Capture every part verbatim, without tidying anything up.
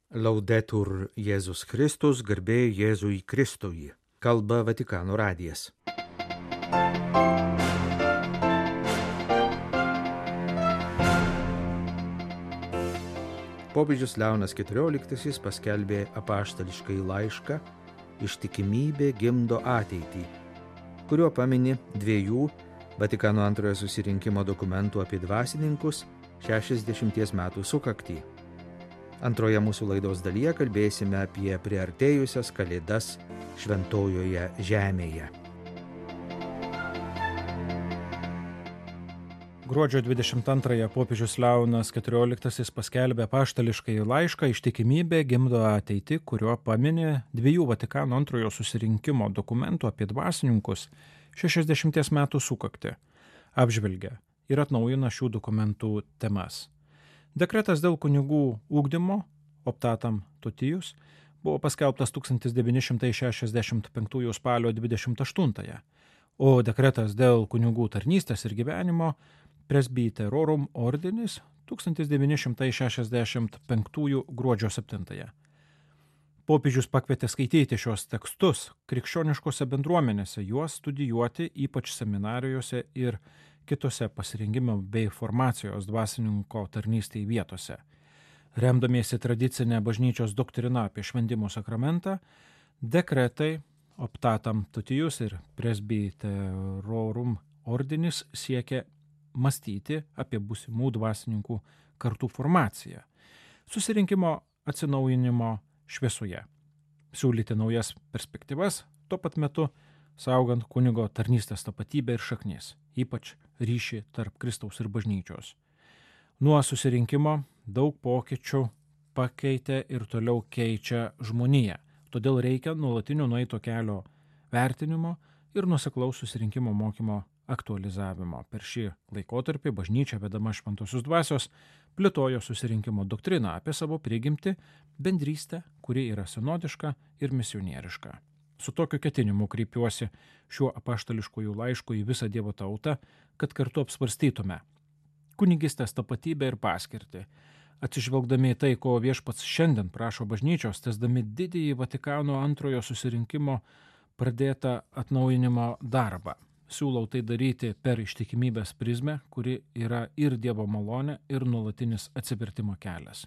Laudetur Jėzus Kristus, garbė Jėzui Kristui. Kalba Vatikano radijas. Popiežius Leonas keturioliktasis paskelbė apaštališkąjį laišką Ištikimybė gimdo ateitį, kuriuo pamini dviejų Vatikano antrojo susirinkimo dokumentų apie dvasininkus šešiasdešimties metų sukaktį. Antroje mūsų laidos dalyje kalbėsime apie priartėjusias kalėdas šventojoje žemėje. Gruodžio dvidešimt antrąją popiežius Leonas keturioliktasis paskelbė apaštališkąjį laišką Ištikimybė gimdo ateitį, kuriuo pamini dviejų Vatikano antrojo susirinkimo dokumentų apie dvasininkus šešiasdešimties metų sukaktį, apžvelgia ir atnaujina šių dokumentų temas. Dekretas dėl kunigų ugdymo, optatam tutijus, buvo paskelbtas tūkstantis devyni šimtai šešiasdešimt penktųjų spalio dvidešimt aštuntąją, o dekretas dėl kunigų tarnystės ir gyvenimo presbyterorum ordinis tūkstantis devyni šimtai šešiasdešimt penktųjų gruodžio septintąją. Popiežius pakvietė skaityti šios tekstus krikščioniškose bendruomenėse, juos studijuoti, ypač seminarijose ir kitose pasirengimo bei formacijos dvasininko tarnystėje vietose. Remdamiesi tradicinę bažnyčios doktriną apie šventimo sakramentą, dekretai optatam tutijus ir presbyterorum ordinis siekia mąstyti apie būsimų dvasininkų kartų formaciją, susirinkimo atsinaujinimo šviesoje, siūlyti naujas perspektyvas, tuo pat metu saugant kunigo tarnystės tapatybę ir šaknis, ypač ryšį tarp Kristaus ir bažnyčios. Nuo susirinkimo daug pokyčių pakeitė ir toliau keičia žmoniją, todėl reikia nuolatinio nueito kelio vertinimo ir nuoseklaus susirinkimo mokymo aktualizavimo. Per šį laikotarpį bažnyčia, vedama šventosios dvasios, plėtojo susirinkimo doktriną apie savo prigimtį, bendrystę, kuri yra sinodiška ir misionieriška. Su tokiu ketinimu kreipiuosi šiuo apaštališkųjų laišku į visą Dievo tautą, kad kartu apsvarstytume kunigystės tapatybę ir paskirtį, atsižvelgdami į tai, ko viešpats šiandien prašo bažnyčios, tęsdami didįjį Vatikano antrojo susirinkimo pradėtą atnaujinimo darbą. Siūlau tai daryti per ištikimybės prizmę, kuri yra ir Dievo malonė, ir nuolatinis atsivertimo kelias,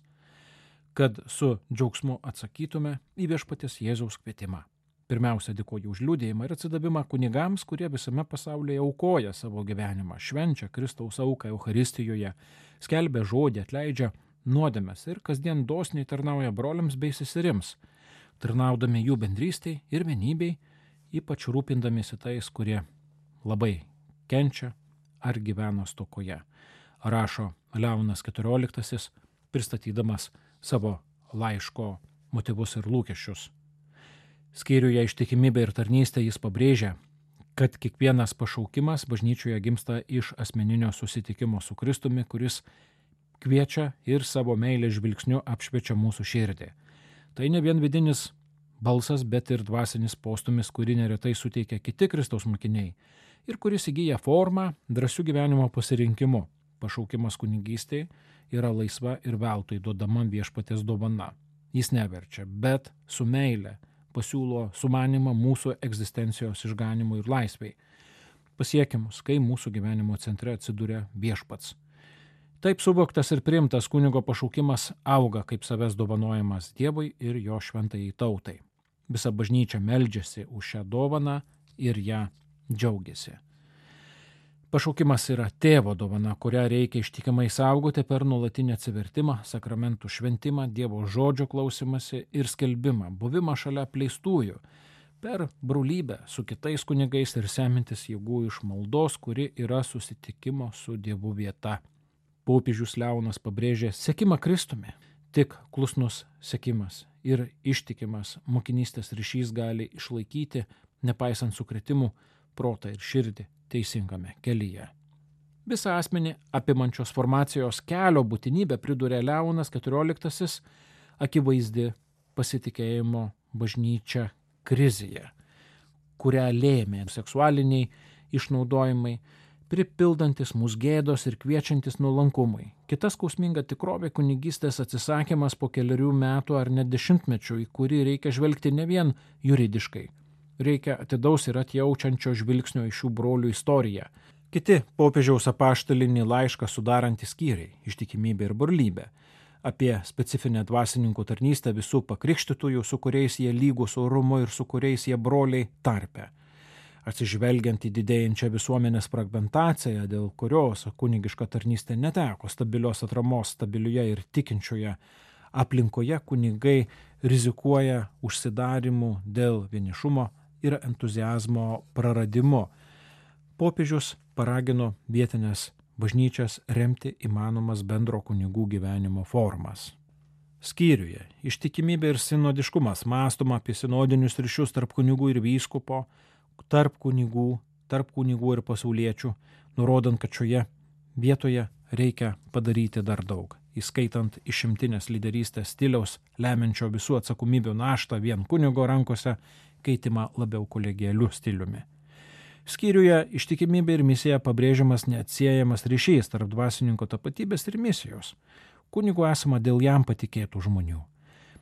kad su džiaugsmu atsakytume į viešpaties Jėzaus kvietimą. Pirmiausia, dėkoju už liudijimą ir atsidavimą kunigams, kurie visame pasaulyje aukoja savo gyvenimą, švenčia Kristaus auką Eucharistijoje, skelbia žodį, atleidžia nuodėmes ir kasdien dosniai tarnauja broliams bei seserims, tarnaudami jų bendrystei ir vienybei, ypač rūpindamiesi tais, kurie labai kenčia ar gyvena stokoje, rašo Leonas keturioliktasis, pristatydamas savo laiško motyvus ir lūkesčius. Skyriuje Ištikimybė ir tarnystė jis pabrėžia, kad kiekvienas pašaukimas bažnyčioje gimsta iš asmeninio susitikimo su Kristumi, kuris kviečia ir savo meilės žvilgsniu apšviečia mūsų širdį. Tai ne vien vidinis balsas, bet ir dvasinis postumis, kurį neretai suteikia kiti Kristaus mokiniai ir kuris įgyja formą drąsių gyvenimo pasirinkimu. Pašaukimas kunigystėje yra laisva ir veltui duodama viešpaties dovana. Jis neverčia, bet su meile pasiūlo sumanimą mūsų egzistencijos išganimui ir laisvei, pasiekimus, kai mūsų gyvenimo centre atsiduria viešpats. Taip suvoktas ir priimtas kunigo pašaukimas auga kaip savęs dovanojimas Dievui ir jo šventajai tautai. Visa bažnyčia meldžiasi už šią dovaną ir ją džiaugiasi. Pašaukimas yra tėvo dovana, kurią reikia ištikimai saugoti per nuolatinį atsivertimą, sakramentų šventimą, Dievo žodžio klausimąsi ir skelbimą, buvimą šalia apleistųjų, per brolybę su kitais kunigais ir semintis jėgų iš maldos, kuri yra susitikimo su Dievu vieta. Popiežius Leonas pabrėžė sekimą Kristumi. Tik klusnus sekimas ir ištikimas mokinystės ryšys gali išlaikyti, nepaisant sukrėtimų, protą ir širdį teisingame kelyje. Visą asmenį apimančios formacijos kelio būtinybę priduria Leonas keturioliktasis akivaizdi pasitikėjimo bažnyčia krizėje, kurią lėmė seksualiniai išnaudojimai, pripildantis mūsų gėdos ir kviečiantis nuolankumui. Kita skausminga tikrovė kunigystės atsisakymas po keliarių metų ar net dešimtmečių, į kurį reikia žvelgti ne vien juridiškai. Reikia atidaus ir atjaučiančio žvilgsnio iš šių brolių istoriją. Kiti popiežiaus apaštalinį laišką sudarantys skyriai – ištikimybė ir brolybė. Apie specifinę dvasininkų tarnystę visų pakrikštytųjų, su kuriais jie lygūs orumu ir su kuriais jie broliai tarpe. Atsižvelgiant į didėjančią visuomenės fragmentaciją, dėl kurios kunigiška tarnystė neteko stabilios atramos stabilioje ir tikinčioje aplinkoje, kunigai rizikuoja užsidarimu dėl vienišumo ir entuziazmo praradimu. Popiežius paragino vietinės bažnyčias remti įmanomas bendro kunigų gyvenimo formas. Skyriuje ištikimybė ir sinodiškumas mąstoma apie sinodinius ryšius tarp kunigų ir vyskupo, tarp kunigų, tarp kunigų ir pasauliečių, nurodant, kad šioje vietoje reikia padaryti dar daug, įskaitant išimtinės lyderystės stiliaus, lemiančio visų atsakomybių naštą vien kunigo rankose, keitimą labiau kolegialiu stiliumi. Skyriuje ištikimybė ir misija pabrėžiamas neatsiejamas ryšys tarp dvasininko tapatybės ir misijos. Kunigu esama dėl jam patikėtų žmonių.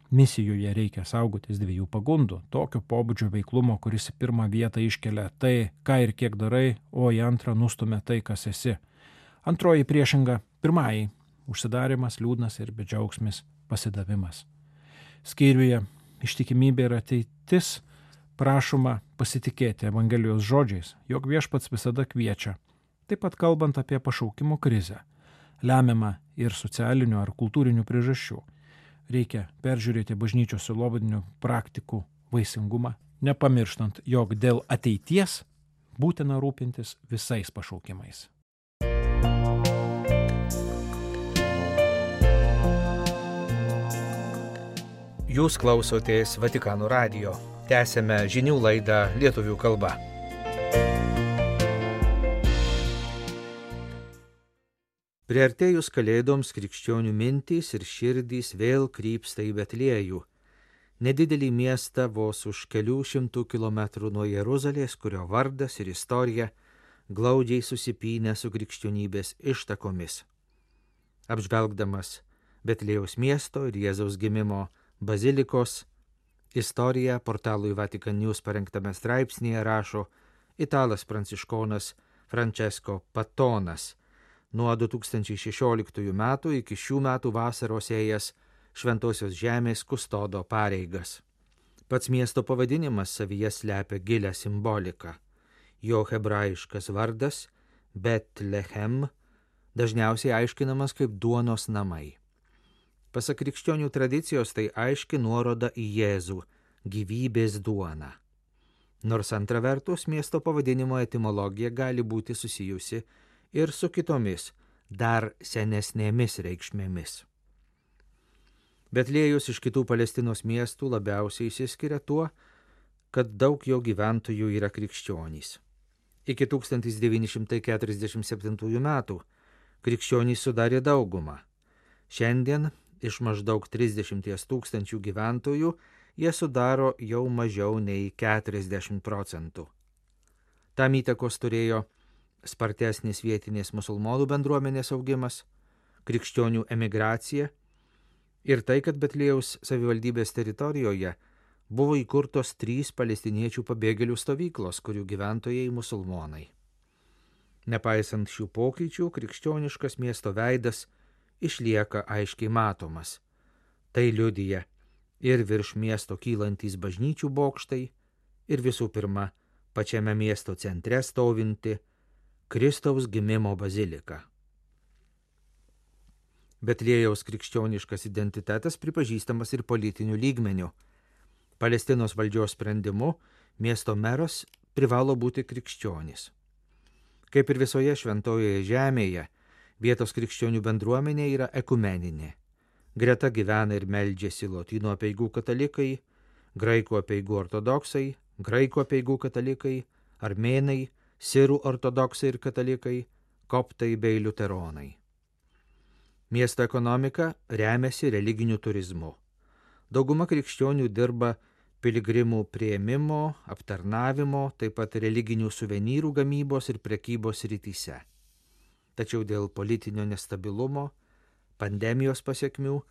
Misijoje reikia saugotis dviejų pagundų – tokio pobūdžio veiklumo, kuris į pirmą vietą iškelia tai, ką ir kiek darai, o į antrą nustumia tai, kas esi. Antroji priešinga – pirmąjį – užsidarimas, liūdnas ir bedžiaugsmis pasidavimas. Skyriuje ištikimybė ir ateitis prašoma pasitikėti Evangelijos žodžiais, jog Viešpats visada kviečia, taip pat kalbant apie pašaukimo krizę, lemiamą ir socialinių ar kultūrinių priežasčių. Reikia peržiūrėti bažnyčios sielovadinių praktikų vaisingumą, nepamirštant, jog dėl ateities būtina rūpintis visais pašaukimais. Jūs klausotės Vatikano radijo. Tęsėme žinių laidą lietuvių kalba. Priartėjus kalėdoms krikščionių mintys ir širdys vėl krypsta į Betliejų, nedidelį miestą vos už kelių šimtų kilometrų nuo Jeruzalės, kurio vardas ir istorija glaudžiai susipynę su krikščionybės ištakomis. Apžvelgdamas Betliejaus miesto ir Jėzaus gimimo bazilikos istoriją portalui Vatican News parengtame straipsnėje rašo italas pranciškonas Francesco Patonas, nuo du tūkstančiai šešioliktųjų metų iki šių metų vasaros ėjęs Šventosios žemės kustodo pareigas. Pats miesto pavadinimas savyje slepia gilią simboliką. Jo hebrajiškas vardas Betlehem dažniausiai aiškinamas kaip duonos namai. Pasak krikščionių tradicijos tai aiški nuoroda į Jėzų, gyvybės duoną. Nors antra vertus miesto pavadinimo etimologija gali būti susijusi ir su kitomis, dar senesnėmis reikšmėmis. Betliejus iš kitų Palestinos miestų labiausiai išsiskiria tuo, kad daug jo gyventojų yra krikščionys. Iki tūkstantis devyni šimtai keturiasdešimt septintųjų metų krikščionys sudarė daugumą. Šiandien iš maždaug trisdešimties tūkstančių gyventojų jie sudaro jau mažiau nei keturiasdešimt procentų. Tam įtakos turėjo spartesnis vietinės musulmonų bendruomenės augimas, krikščionių emigracija ir tai, kad Betliejaus savivaldybės teritorijoje buvo įkurtos trys palestiniečių pabėgėlių stovyklos, kurių gyventojai musulmonai. Nepaisant šių pokyčių, krikščioniškas miesto veidas išlieka aiškiai matomas. Tai liudija ir virš miesto kylantys bažnyčių bokštai, ir visų pirma, pačiame miesto centre stovinti Kristaus gimimo bazilika. Betliejaus krikščioniškas identitetas pripažįstamas ir politiniu lygmeniu. Palestinos valdžios sprendimu miesto meras privalo būti krikščionis. Kaip ir visoje šventojoje žemėje, vietos krikščionių bendruomenė yra ekumeninė. Greta gyvena ir meldžiasi lotynų apeigų katalikai, graikų apeigų ortodoksai, graikų apeigų katalikai, armėnai, sirų ortodoksai ir katalikai, koptai bei liuteronai. Miesto ekonomika remiasi religiniu turizmu. Dauguma krikščionių dirba piligrimų prieimimo, aptarnavimo, taip pat religinių suvenyrų gamybos ir prekybos rytise. Tačiau dėl politinio nestabilumo, pandemijos pasiekmių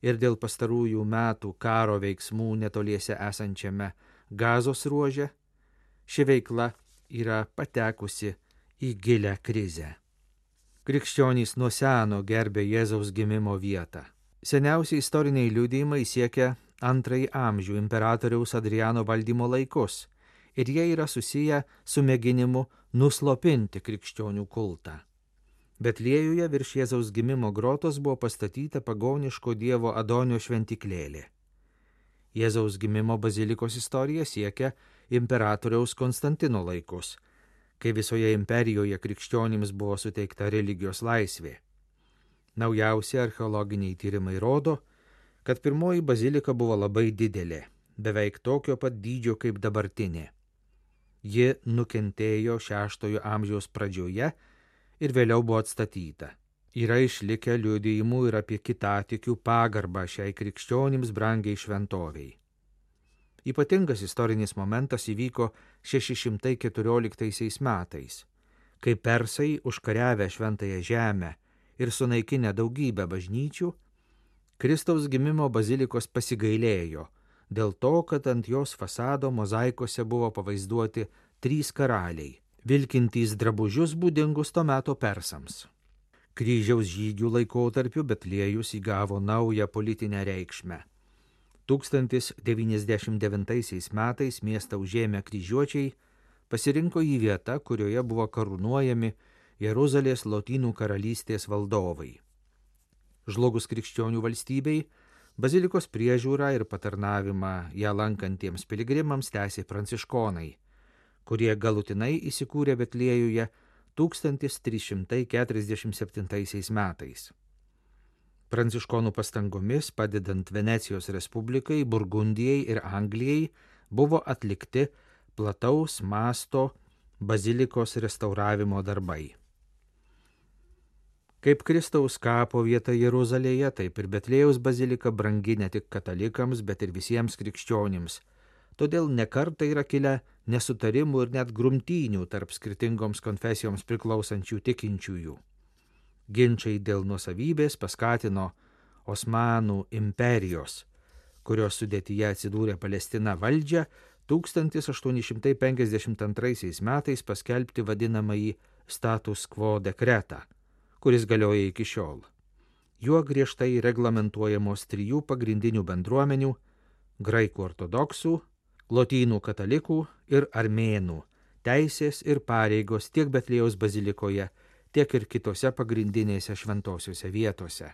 ir dėl pastarųjų metų karo veiksmų netoliese esančiame Gazos ruože, ši veikla yra patekusi į gilią krizę. Krikščionys nuo seno gerbė Jėzaus gimimo vietą. Seniausi istoriniai liudijimai siekia antrąjį amžių imperatoriaus Adriano valdymo laikus ir jie yra susiję su mėginimu nuslopinti krikščionių kultą. Betliejuje virš Jėzaus gimimo grotos buvo pastatyta pagoniško dievo Adonio šventyklėlė. Jėzaus gimimo bazilikos istorija siekia imperatoriaus Konstantino laikus, kai visoje imperijoje krikščionims buvo suteikta religijos laisvė. Naujausi archeologiniai tyrimai rodo, kad pirmoji bazilika buvo labai didelė, beveik tokio pat dydžio kaip dabartinė. Ji nukentėjo šeštojo amžiaus pradžioje ir vėliau buvo atstatyta. Yra išlikę liudijimų ir apie kitatikių pagarbą šiai krikščionims brangiai šventoviai. Ypatingas istorinis momentas įvyko šeši šimtai keturioliktaisiais metais, kai persai užkariavę šventąją žemę ir sunaikinę daugybę bažnyčių, Kristaus gimimo bazilikos pasigailėjo dėl to, kad ant jos fasado mozaikose buvo pavaizduoti trys karaliai, vilkintys drabužius būdingus to meto persams. Kryžiaus žygių laikotarpiu Betliejus įgavo naują politinę reikšmę. tūkstantis devyniasdešimt devintaisiais metais miestą užėmę kryžiuočiai pasirinko į vietą, kurioje buvo karūnuojami Jeruzalės Lotynų karalystės valdovai. Žlugus krikščionių valstybei, bazilikos priežiūrą ir patarnavimą ją lankantiems piligrimams tęsė pranciškonai, kurie galutinai įsikūrė Betliejuje tūkstantis trys šimtai keturiasdešimt septintaisiais metais. Pranciškonų pastangomis, padedant Venecijos Respublikai, Burgundijai ir Anglijai, buvo atlikti plataus masto bazilikos restauravimo darbai. Kaip Kristaus kapo vieta Jeruzalėje, taip ir Betliejaus bazilika brangi ne tik katalikams, bet ir visiems krikščionims. Todėl nekartą yra kilę nesutarimų ir net grumtynių tarp skirtingoms konfesijoms priklausančių tikinčiųjų. Ginčiai dėl nuosavybės paskatino Osmanų imperijos, kurios sudėtyje atsidūrė Palestina valdžią, tūkstantis aštuoni šimtai penkiasdešimt antraisiais metais paskelbti vadinamąjį status quo dekretą, kuris galioja iki šiol. Juo griežtai reglamentuojamos trijų pagrindinių bendruomenių – graikų ortodoksų, lotynų katalikų ir armėnų teisės ir pareigos tiek Betliejaus bazilikoje, tiek ir kitose pagrindinėse šventosiuose vietose.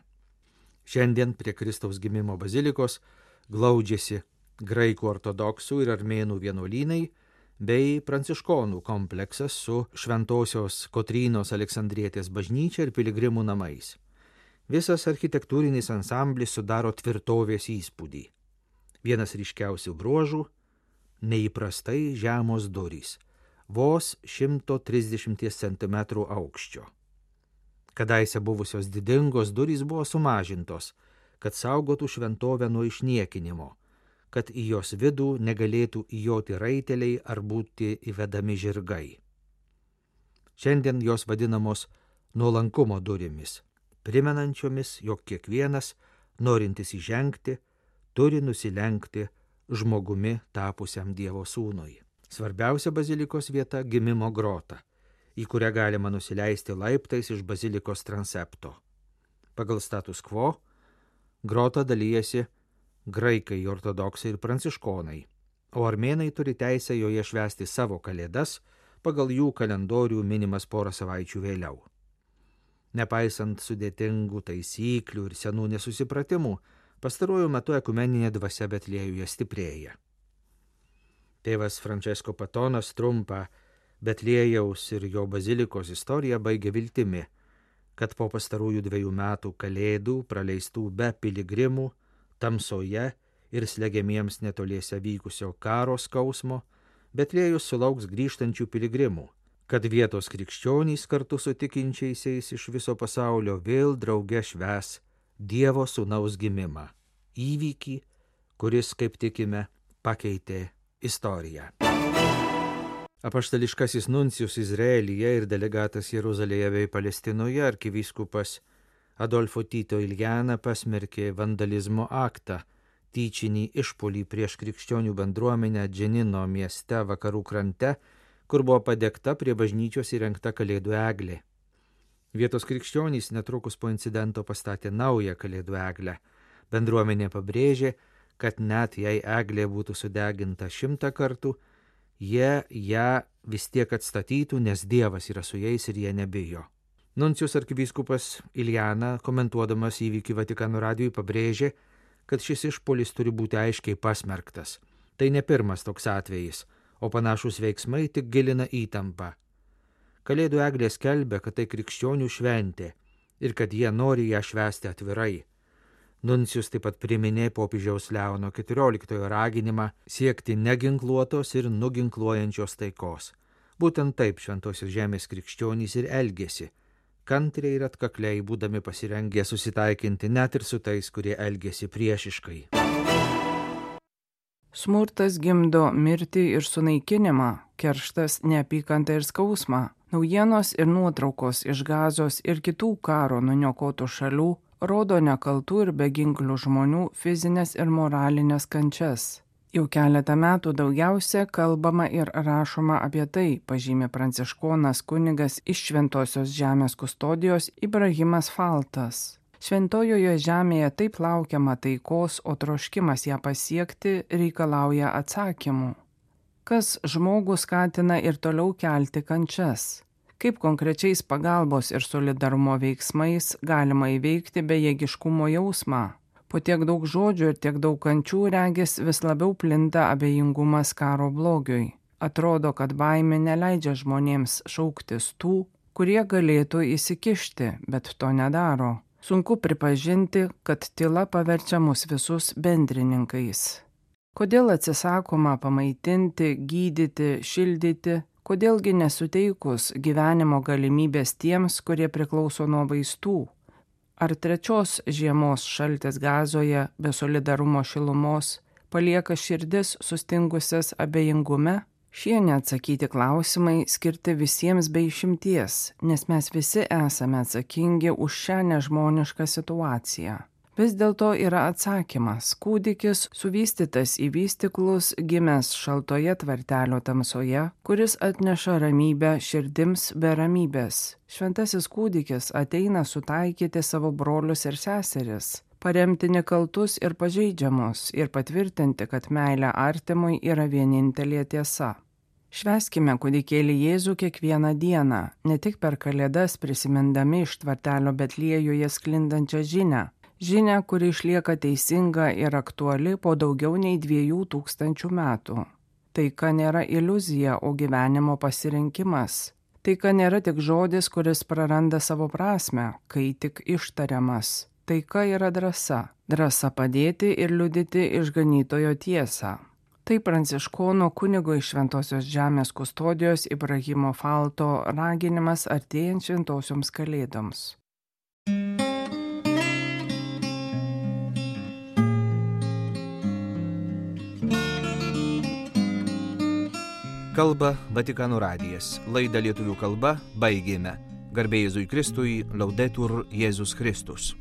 Šiandien prie Kristaus gimimo bazilikos glaudžiasi graikų ortodoksų ir armėnų vienuolynai bei pranciškonų kompleksas su Šventosios Kotrynos Aleksandrietės bažnyčia ir piligrimų namais. Visas architektūrinis ansamblis sudaro tvirtovės įspūdį. Vienas ryškiausių bruožų – neįprastai žemos durys, vos šimto trisdešimt centimetrų aukščio. Kadaise buvusios didingos durys buvo sumažintos, kad saugotų šventovę nuo išniekinimo, kad į jos vidų negalėtų įjoti raiteliai ar būti įvedami žirgai. Šiandien jos vadinamos nuolankumo durimis, primenančiomis, jog kiekvienas, norintis įžengti, turi nusilenkti žmogumi tapusiam Dievo sūnui. Svarbiausia bazilikos vieta – gimimo grota, į kurią galima nusileisti laiptais iš bazilikos transepto. Pagal status quo grota dalyjasi graikai, ortodoksai ir pranciškonai, o armėnai turi teisę joje švęsti savo kalėdas pagal jų kalendorių minimas porą savaičių vėliau. Nepaisant sudėtingų taisyklių ir senų nesusipratimų, pastaruoju metu ekumeninė dvasia Betliejuje stiprėja. Tėvas Francesco Patonas trumpą Betliejaus ir jo bazilikos istoriją baigė viltimi, kad po pastarųjų dviejų metų kalėdų praleistų be piligrimų, tamsoje ir slegiamiems netoliese vykusio karo skausmo, Betliejus sulauks grįžtančių piligrimų, kad vietos krikščionys kartu su tikinčiaisiais iš viso pasaulio vėl drauge švęs Dievo sūnaus gimimą, įvykį, kuris, kaip tikime, pakeitė istoriją. Apaštališkasis nuncijus Izraelyje ir delegatas Jeruzalėje bei Palestinoje arkivyskupas Adolfo Tito Iljana pasmerkė vandalizmo aktą, tyčinį išpuolį prieš krikščionių bendruomenę Dženino mieste vakarų krante, kur buvo padegta prie bažnyčios įrengta kalėdų eglė. Vietos krikščionys netrukus po incidento pastatė naują kalėdų eglę. Bendruomenė pabrėžė, kad net jei eglė būtų sudeginta šimtą kartų, jie ją vis tiek atstatytų, nes Dievas yra su jais ir jie nebijo. Nuncijus arkivyskupas Iljana, komentuodamas įvykį Vatikano radijui, pabrėžė, kad šis išpuolis turi būti aiškiai pasmerktas. Tai ne pirmas toks atvejis, o panašus veiksmai tik gilina įtampą. Kalėdų eglė skelbia, kad tai krikščionių šventė ir kad jie nori ją švęsti atvirai. Nuncijus taip pat priminė popiežiaus Leono keturioliktojo raginimą siekti neginkluotos ir nuginkluojančios taikos. Būtent taip Šventosios žemės krikščionys ir elgėsi, kantriai ir atkakliai būdami pasirengę susitaikinti net ir su tais, kurie elgėsi priešiškai. Smurtas gimdo mirtį ir sunaikinimą, kerštas neapykantą ir skausmą. Naujienos ir nuotraukos iš Gazos ir kitų karo nuniokotų šalių rodo nekaltų ir beginklių žmonių fizinės ir moralinės kančias. Jau keletą metų daugiausia kalbama ir rašoma apie tai, pažymė pranciškonas kunigas iš Šventosios žemės kustodijos Ibrahimas Faltas. Šventojoje žemėje taip laukiama taikos, o troškimas ją pasiekti reikalauja atsakymų. Kas žmogų skatina ir toliau kelti kančias? Kaip konkrečiais pagalbos ir solidarumo veiksmais galima įveikti bejėgiškumo jausmą? Po tiek daug žodžių ir tiek daug kančių regis vis labiau plinta abejingumas karo blogiui. Atrodo, kad baimė neleidžia žmonėms šauktis tų, kurie galėtų įsikišti, bet to nedaro. Sunku pripažinti, kad tyla paverčia mus visus bendrininkais. Kodėl atsisakoma pamaitinti, gydyti, šildyti? Kodėlgi nesuteikus gyvenimo galimybės tiems, kurie priklauso nuo vaistų? Ar trečios žiemos šaltis Gazoje be solidarumo šilumos palieka širdis sustingusias abejingume? Šie neatsakyti klausimai skirti visiems be išimties, nes mes visi esame atsakingi už šią nežmonišką situaciją. Vis dėlto yra atsakymas – kūdikis suvystytas į vystyklus, gimęs šaltoje tvartelio tamsoje, kuris atneša ramybę širdims be ramybės. Šventasis kūdikis ateina sutaikyti savo brolius ir seseris, paremti nekaltus ir pažeidžiamus ir patvirtinti, kad meilė artimui yra vienintelė tiesa. Švęskime kūdikėlį Jėzų kiekvieną dieną, ne tik per Kalėdas prisimindami iš tvartelio Betliejuje sklindančią žinią, žinią, kuri išlieka teisinga ir aktuali po daugiau nei dviejų tūkstančių metų. Taika nėra iliuzija, o gyvenimo pasirinkimas. Taika nėra tik žodis, kuris praranda savo prasmę, kai tik ištariamas. Taika yra drąsa. Drąsa padėti ir liudyti išganytojo tiesą. Tai pranciškono kunigo iš Šventosios žemės kustodijos Ibrahimo Falto raginimas artėjant šventosioms kalėdoms. Kalba Vatikano radijas. Laidą lietuvių kalba baigėme. Garbė Jėzui Kristui, Laudetur Jėzus Kristus.